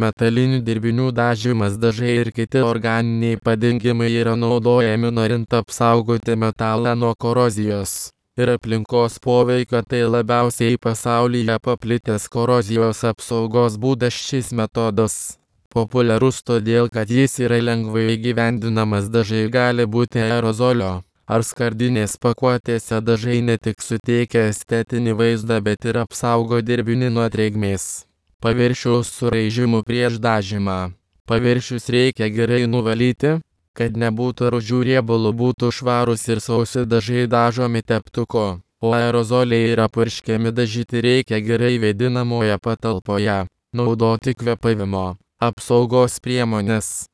metalinių dirbinių dažymas, dažai ir kiti organiniai padengimai yra naudojami norint apsaugoti metalą nuo korozijos ir aplinkos poveikio. Tai labiausiai pasaulyje paplitęs korozijos apsaugos būdas. Šis metodas populiarus todėl, kad jis yra lengvai įgyvendinamas. Dažai gali būti aerozolio ar skardinės pakuotėse. Dažai ne tik suteikia estetinį vaizdą, bet ir apsaugo dirbinį nuo drėgmės, paviršiaus suraižymų prieš dažymą. Paviršius reikia gerai nuvalyti, kad nebūtų rūdžių, riebalų, būtų švarūs ir sausi. Dažai dažomi teptuku, o aerozoliai yra purškiami. Dažyti reikia gerai vėdinamoje patalpoje. Naudoti kvėpavimo apsaugos priemonės.